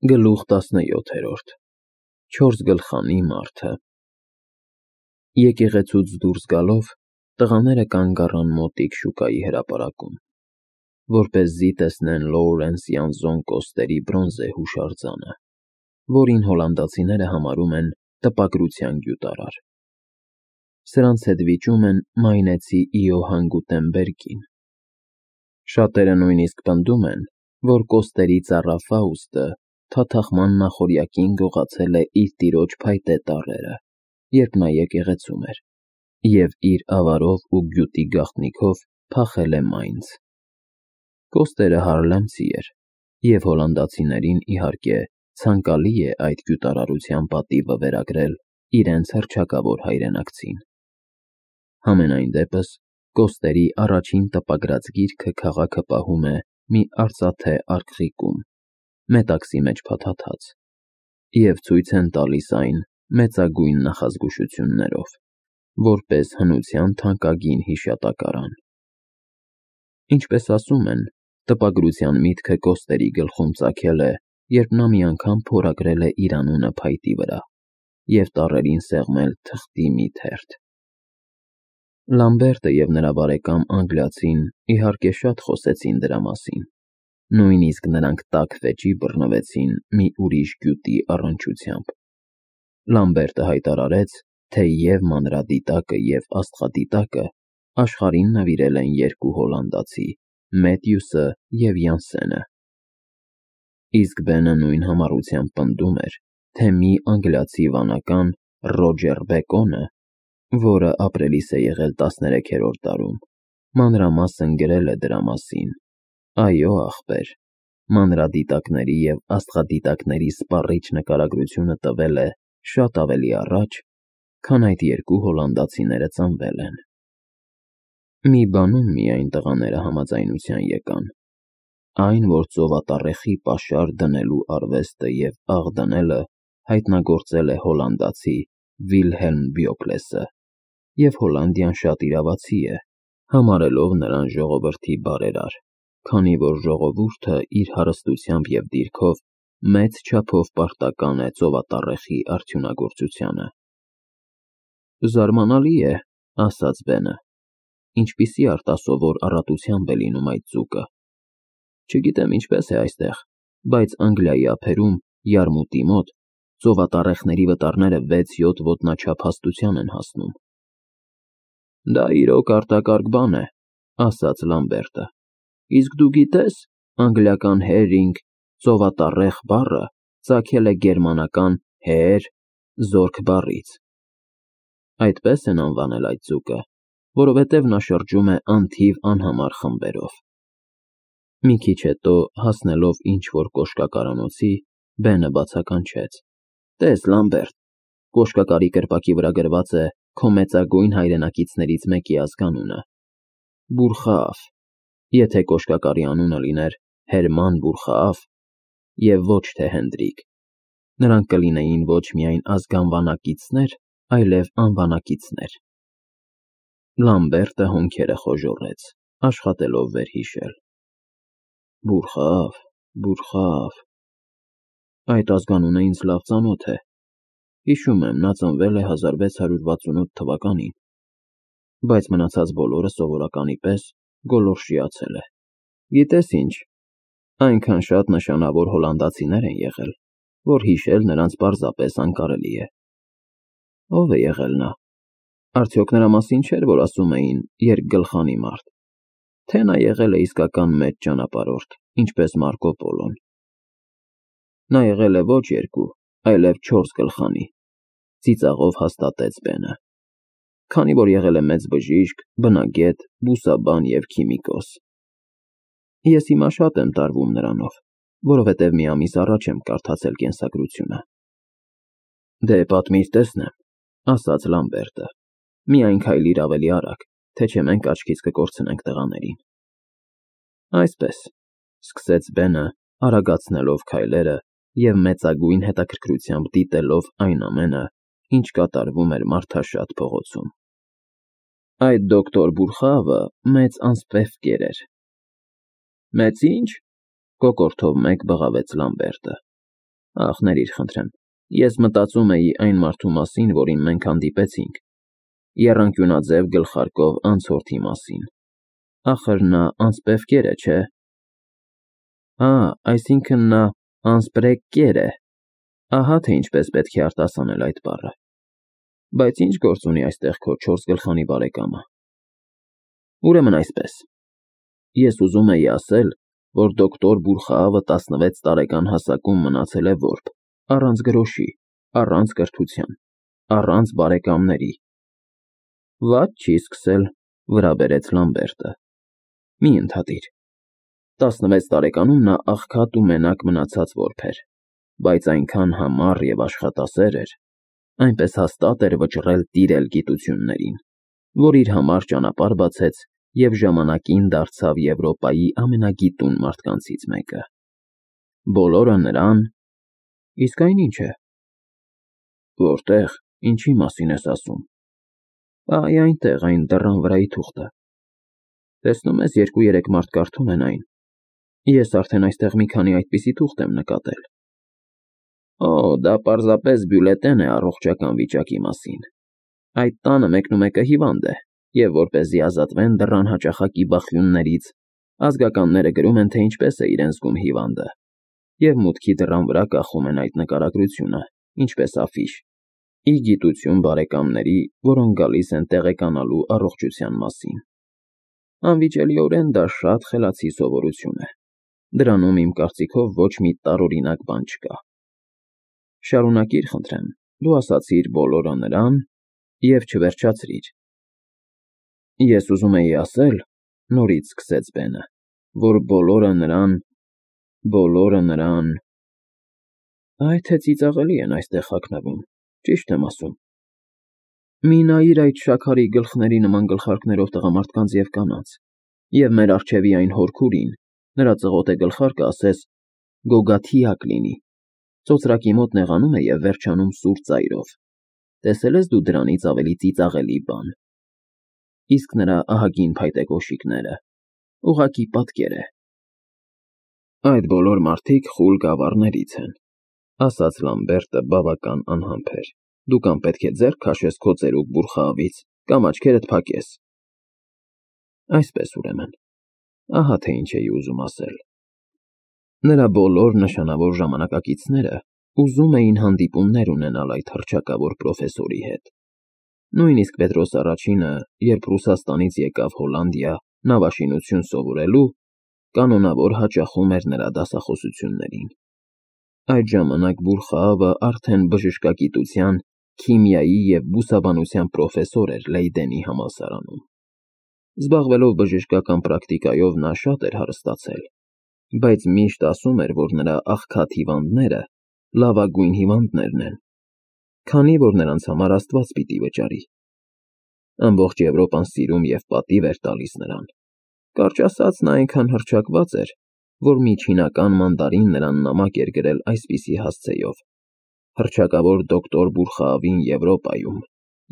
Գլուխ 17 Չորս գլխանի մարդը Եկեղեցուց դուրս գալով, տղաները կանգ առան մոտիկ շուկայի հրապարակում, որպեսզի տեսնեն Լոուրենս Յանզոն Կոստերի բրոնզե հուշարձանը, որին հոլանդացիները համարում են տպագրության գյուտարար։ Սրանց հետ վիճում են մայնեցի Իոհան Գուտենբերգին։ Շատերը նույնիսկ պնդում են, որ Կոստերի ծառա Ֆաուստը թաթախման նախօրյակին գողացել է իր տիրոջ փայտե տառերը, երբ նա եկեղեցում էր, և իր ավարով ու գյուտի գաղտնիքով փախել է Մայնց։ Կոստերը Հարլեմցի էր, և հոլանդացիներին, իհարկե, ցանկալի է այդ գյուտարարության պատիվը վերագրել իրենց հռչակավոր հայրենակցին։ Համենայն դեպս, Կոստերի առաջին տպագրած գիրքը քաղաքը պահում է մի արծաթե արկղիկում, մետաքսի մեջ փաթաթած, և ցույց են տալիս այն մեծագույն նախազգուշություններով, որպես հնության թանկագին հիշատակարան։ Ինչպես ասում են, տպագրության միտքը Կոստերի գլխում ծագել է, երբ նա մի անգամ փորագրել է իր անունը փայտի վրա և տառերին սեղմել թղթի մի թերթ։ Լամբերտը և նրա բարեկամ անգլիացին, իհարկե, շատ խոսեցին դրա մասին, նույնիսկ նրանք տաք վեճի բռնվեցին մի ուրիշ գյուտի առնչությամբ։ Լամբերտը հայտարարեց, թե և մանրադիտակը, և աստղադիտակը աշխարհին նվիրել են երկու հոլանդացի՝ Մեթյուսը և Յանսենը։ Իսկ Բենը նույն համառությամբ պնդում էր, թե մի անգլիացի վանական՝ Ռոջեր Բեկոնը, որը ապրելիս է եղել 13-րդ դարում, մանրամասն գրել է դրա մասին։ Այո, ախպեր, մանրադիտակների և աստղադիտակների սպառիչ նկարագրությունը տվել է շատ ավելի առաջ, քան այդ երկու հոլանդացիները ծնվել են։ Մի բանում միայն տղաները համաձայնության եկան. այն, որ ծովատառեխի պաշար դնելու արվեստը և աղ դնելը հայտնագործել է հոլանդացի Վիլհելմ Բյոկլեսը, և Հոլանդիան շատ իրավացի է, համարելով նրան ժողովրդի բարերար, քանի որ ժողովուրդը իր հարստությամբ և դիրքով մեծ չափով պարտական է ծովատառեխի արդյունագործությանը։ Զարմանալի է, ասաց Բենը, ինչպիսի արտասովոր առատությամբ է լինում այդ ձուկը։ Չգիտեմ ինչպես է այստեղ, բայց Անգլիայի ափերում, Յարմուտի մոտ, ծովատառեխների վտարները 6-7 ոտնաչափ հաստության են հասնում։ Դա իրոք արտակարգ բան է, ասաց Լամբերտը, իսկ դու գիտե՞ս, անգլիական herring, ծովատառեխ բառը ծագել է գերմանական հեեր զորք բառից։ Այդպես են անվանել այդ ձուկը, որովհետև նա շրջում է անթիվ անհամար խմբերով։ Մի քիչ հետո, հասնելով ինչ-որ կոշկակարանոցի, Բենը բացականչեց. Տես, Լամբերտ, կոշկակարի կրպակի վրա գրված է քո մեծագույն հայրենակիցներից մեկի ազգանունը՝ Բուրխաաֆ, եթե կոշկակարի անունը լիներ Հերման Բուրխաաֆ, և ոչ թե Հենդրիկ, նրանք կլինեին ոչ միայն ազգանվանակիցներ, այլև անվանակիցներ։ Լամբերտը հոնքերը խոժոռեց, աշխատելով վերհիշել։ Բուրխաաֆ, այդ ազգանունը ինձ լավ ծանոթ է։ Հիշում եմ, նա ծնվել է 1668 թվականին, բայց մնացած բոլորը սովորականի պես գոլորշիացել է։ Գիտես ինչ, այնքան շատ նշանավոր հոլանդացիներ են եղել, որ հիշել նրանց պարզապես անկարելի է։ Ո՞վ է եղել նա։ Արդյոք նրա մասին չէր, որ ասում էին երկգլխանի մարդ, թե նա եղել է իսկական մեծ ճանապարհորդ, ինչպես Մարկո Պոլոն։ Նա եղել է ոչ երկու, այլև 4 գլխանի, ծիծաղով հաստատեց Բենը, քանի որ եղել է մեծ բժիշկ, բնագետ, բուսաբան և քիմիկոս։ Ես հիմա շատ եմ տարվում նրանով, որովհետև մի ամիս առաջ եմ կարդացել կենսագրությունը։ Դե պատմիր տեսնեմ, ասաց Լամբերտը, միայն քայլիր ավելի արագ, թե չէ մենք աչքից կկորցնենք տղաներին։ Այսպես, սկսեց Բենը, արագացնելով քայլերը և մեծագույն հետաքրքրությամբ դիտելով այն ամենը, ինչ կատարվում էր մարդաշատ փողոցում։ Այդ դոկտոր Բուրխաավը մեծ անսպևկեր էր։ Մեծ ինչ, կոկորդով մեկ բղավեց Լամբերտը։ Ախ, ներիր, խնդրեմ, ես մտածում էի այն մարդու մասին, որին մենք հանդիպեցինք, եռանկյունաձև գլխարկով անցորդի մասին։ Ախր նա անսպև կեր է, չէ՞։ Այսինքն նա անսպրեկ կեր է։ Ահա թե ինչպես պետք է արտասանել այդ բառը։ Բայց ինչ գործ ունի այստեղ քո 4 գլխանի բարեկամը։ Ուրեմն այսպես. ես ուզում էի ասել, որ դոկտոր Բուրխաավը 16 տարեկան հասակում մնացել է որբ, առանց գրոշի, առանց կրթության, առանց բարեկամների։ Վատ չի սկսել, վրա բերեց Լամբերտը։ Մի ընդհատիր։ 16 տարեկանում նա աղքատ ու մենակ մնացած որբ էր, բայց այնքան համառ և աշխատասեր էր, այնպես հաստատ էր վճռել տիրել գիտություններին, որ իր համար ճանապարհ բացեց և ժամանակին դարձավ Եվրոպայի ամենագիտուն մարդկանցից մեկը։ Բոլորը նրան… Իսկ այն ի՞նչ է։ Որտե՞ղ, ինչի մասին ես ասում։ Այնտեղ, այն դռան վրայի թուղթը։ Տեսնում ես, 2-3 մարդ կարդում են այն։ Ես արդեն այստեղ մի քանի այդպիսի թուղթ եմ նկատել։ Դա պարզապես բյուլետեն է առողջական վիճակի մասին։ Այդ տանը մեկնումեկը հիվանդ է, և որպեսզի ազատվեն դռան հաճախակի բախյուններից, ազգականները գրում են, թե ինչպես է իրեն զգում հիվանդը, և մուտքի դռան վրա կախում են այդ նկարագրությունը, ինչպես աֆիշ, ի գիտություն բարեկամների, որոնք գալիս են տեղեկանալու առողջության մասին։ Անվիճելիորեն դա շատ խելացի սովորություն է։ Դրանում, իմ կարծիքով, ոչ մի տարօրինակ բան չկա։ Շարունակիր, խնդրեմ, դու ասացիր բոլորը նրան և չվերջացրիր։ Ես ուզում էի ասել, նորից սկսեց Բենը, որ բոլորը նրան… Այ թե ծիծաղելի են այստեղ հագնվում, ճիշտ եմ ասում։ Մի նայիր այդ շաքարի գլխների նման գլխարկներով տղամարդկանց և կանանց, և մեր առջևի այն հորքուրին, նրա ծղոտե գլխարկը, ասես գոգաթիակ լինի, ծոծրակի մոտ նեղանում է և վերջանում սուր ծայրով։ Տեսել ես դու դրանից ավելի ծիծաղելի բան։ Իսկ նրա ահագին փայտե կոշիկները… ուղղակի պատկեր է։ Այդ բոլոր մարդիկ խուլ գավառներից են, ասաց Լամբերտը բավական անհամբեր։ Դու կամ պետք է ձեռք քաշես քո ծերուկ Բուրխաավից, կամ աչքերդ փակես։ Այսպես, ուրեմն, ահա թե ինչ էի ուզում ասել։ Նրա բոլոր նշանավոր ժամանակակիցները ուզում էին հանդիպումներ ունենալ այդ հռչակավոր պրոֆեսորի հետ։ Նույնիսկ Պետրոս Առաջինը, երբ Ռուսաստանից եկավ Հոլանդիա նավաշինություն սովորելու, կանոնավոր հաճախում էր նրա դասախոսություններին։ Այդ ժամանակ Բուրխաավը արդեն բժշկագիտության, քիմիայի և բուսաբանության պրոֆեսոր էր Լեյդենի համալսարանում։ Զբաղվելով բժշկական պրակտիկայով նա շատ էր հարստացել, բայց միշտ ասում էր, որ նրա աղքատ հիվանդները լավագույն հիվանդներն են, քանի որ նրանց համար Աստված պիտի վճարի։ Ամբողջ Եվրոպան սիրում և պատիվ էր տալիս նրան։ Կարճ ասած, նա այնքան հռչակված էր, որ մի չինական մանդարին նրան նամակ էր գրել այսպիսի հասցեով. «Հռչակավոր դոկտոր Բուրխաավին Եվրոպայում»,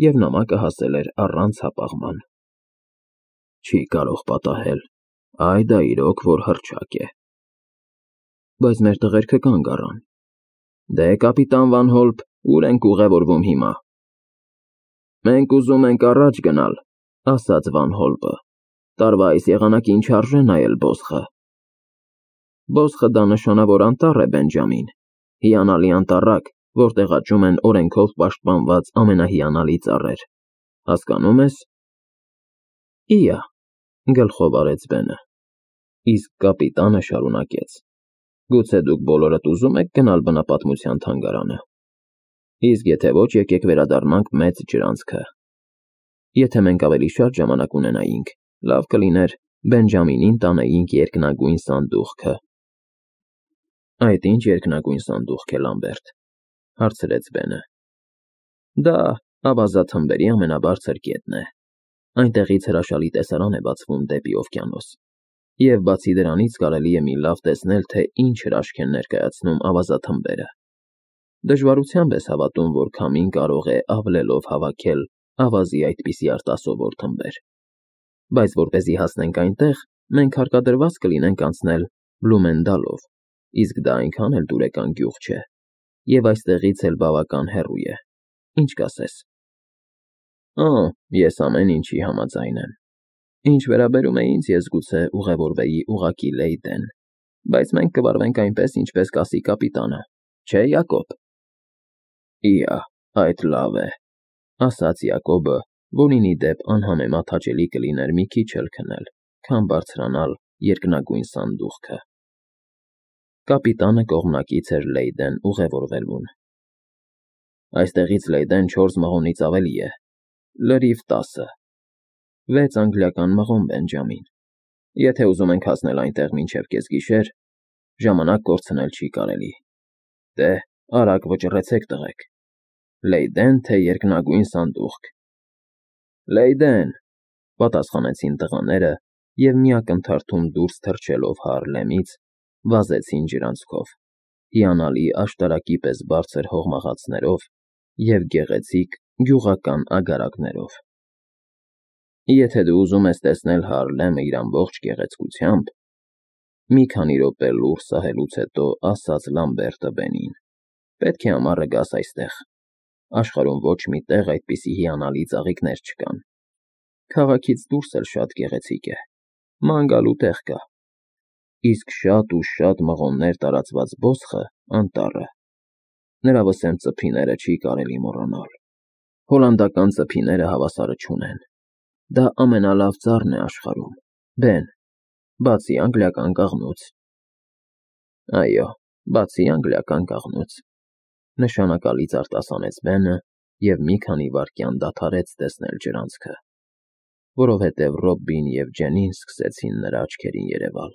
և նամակը հասել էր առանց հապաղման։ Չի կարող պատահել, դա իրոք որ հռչակ է։ Բայց մեր տղերքը կանգ առան։ Դե, կապիտան Վան Հոլպ, ուր ենք ուղևորվում հիմա։ Մենք ուզում ենք առաջ գնալ, ասաց Վան Հոլպը։ Տարվա այս եղանակին չարժե նայել բոսխը։ Բոսխը դա նշանավոր անտառ է, Բենջամին, հիանալի անտառակ, որտեղ աճում են օրենքով պաշտպանված ամենահիանալի ծառեր։ Հասկանում ես։ Իա, գլխով արեց Բենը։ Իսկ կապիտանը շարունակեց. Գուցե դուք բոլորդ ուզում եք գնալ բնապատմության թանգարանը։ Իսկ եթե ոչ, եկեք վերադառնանք մեծ ջրանցքը։ Եթե մենք ավելի շատ ժամանակ ունենայինք, լավ կլիներ Բենջամինին տանեինք երկնագույն սանդուղքը։ Այդ ինչ երկնագույն սանդուղք է, Լամբերտ, հարցրեց Բենը։ Դա ավազաթմբերի ամենաբարձր կետն է։ Այնտեղից հրաշալի տեսարան է բացվում դեպի օվկիանոս։ Եվ բացի դրանից կարելի է մի լավ տեսնել, թե ինչ հրաշք են ներկայացնում ավազաթմբերը։ Դժվարությամբ ես հավատում, որ քամին կարող է ավլելով հավաքել ավազի այդպիսի արտասովոր թմբեր։ Բայց որպեսզի հասնենք այնտեղ, մենք հարկադրված կլինենք անցնել Բլումենդալով, իսկ դա այնքան էլ դուրեկան գյուղ չէ։ և այստեղից էլ բավական հեռու է, ինչ կասես։ Ես ամեն ինչի համաձայն եմ։ Ինչ վերաբերում է ինձ, ես գուցե ուղևորվեի ուղղակի Լեյդեն, բայց մենք կվարվենք այնպես, ինչպես կասի կապիտանը, չէ՞, Յակոբ։ Իա, այդ լավ է, ասաց Յակոբը, որին ի դեպ անհամեմատ հաճելի կլիներ մի քիչ էլ քնել, քան բարձրանալ երկնագույն սանդուղքը։ Կապիտանը կողմնակից էր Լեյդեն ուղևորվելուն։ Այստեղից Լեյդեն 4 մղոնից ավելի է, լրիվ 10, 6 անգլիական մղոն, Բենջամին։ Եթե ուզում ենք հասնել այնտեղ մինչև կեսգիշեր, ժամանակ կորցնել չի կարելի։ Դե, արագ վճռեցեք, տղեկ։ Լեյդեն, թե երկնագույն սանդուղք։ Լեյդեն, պատասխանեցին տղաները և մի ակնթարթում դուրս թռչելով Հարլեմից, վազեցին ջրանցքով, հիանալի աշտարակի պես բարձր հողմաղացներով և գեղեցիկ գյուղական ագարակներով։ Եթե դու ուզում ես տեսնել Հարլեմը իր ամբողջ գեղեցկությամբ, մի քանի րոպե լուռ սահելուց հետո ասաց Լամբերտը Բենին, պետք է ամառը գաս այստեղ, աշխարհում ոչ մի տեղ այդպիսի հիանալի ծաղիկներ չկան, քաղաքից դուրս էլ շատ գեղեցիկ է, ման գալու տեղ կա, իսկ շատ ու շատ մղոններ տարածված բոսխը անտառը, նրա վսեմ ծփիները չի կարելի մոռանալ, հոլանդական ծփիները հավասարը չունեն, դա ամենալավ ծառն է աշխարհում, Բեն, բացի անգլիական կաղնուց։ Այո, բացի անգլիական կաղնուց, նշանակալից արտասանեց Բենը և մի քանի վայրկյան դադարեց տեսնել ջրանցքը, որովհետև Ռոբին և Ջենին սկսեցին նրա աչքերին երևալ։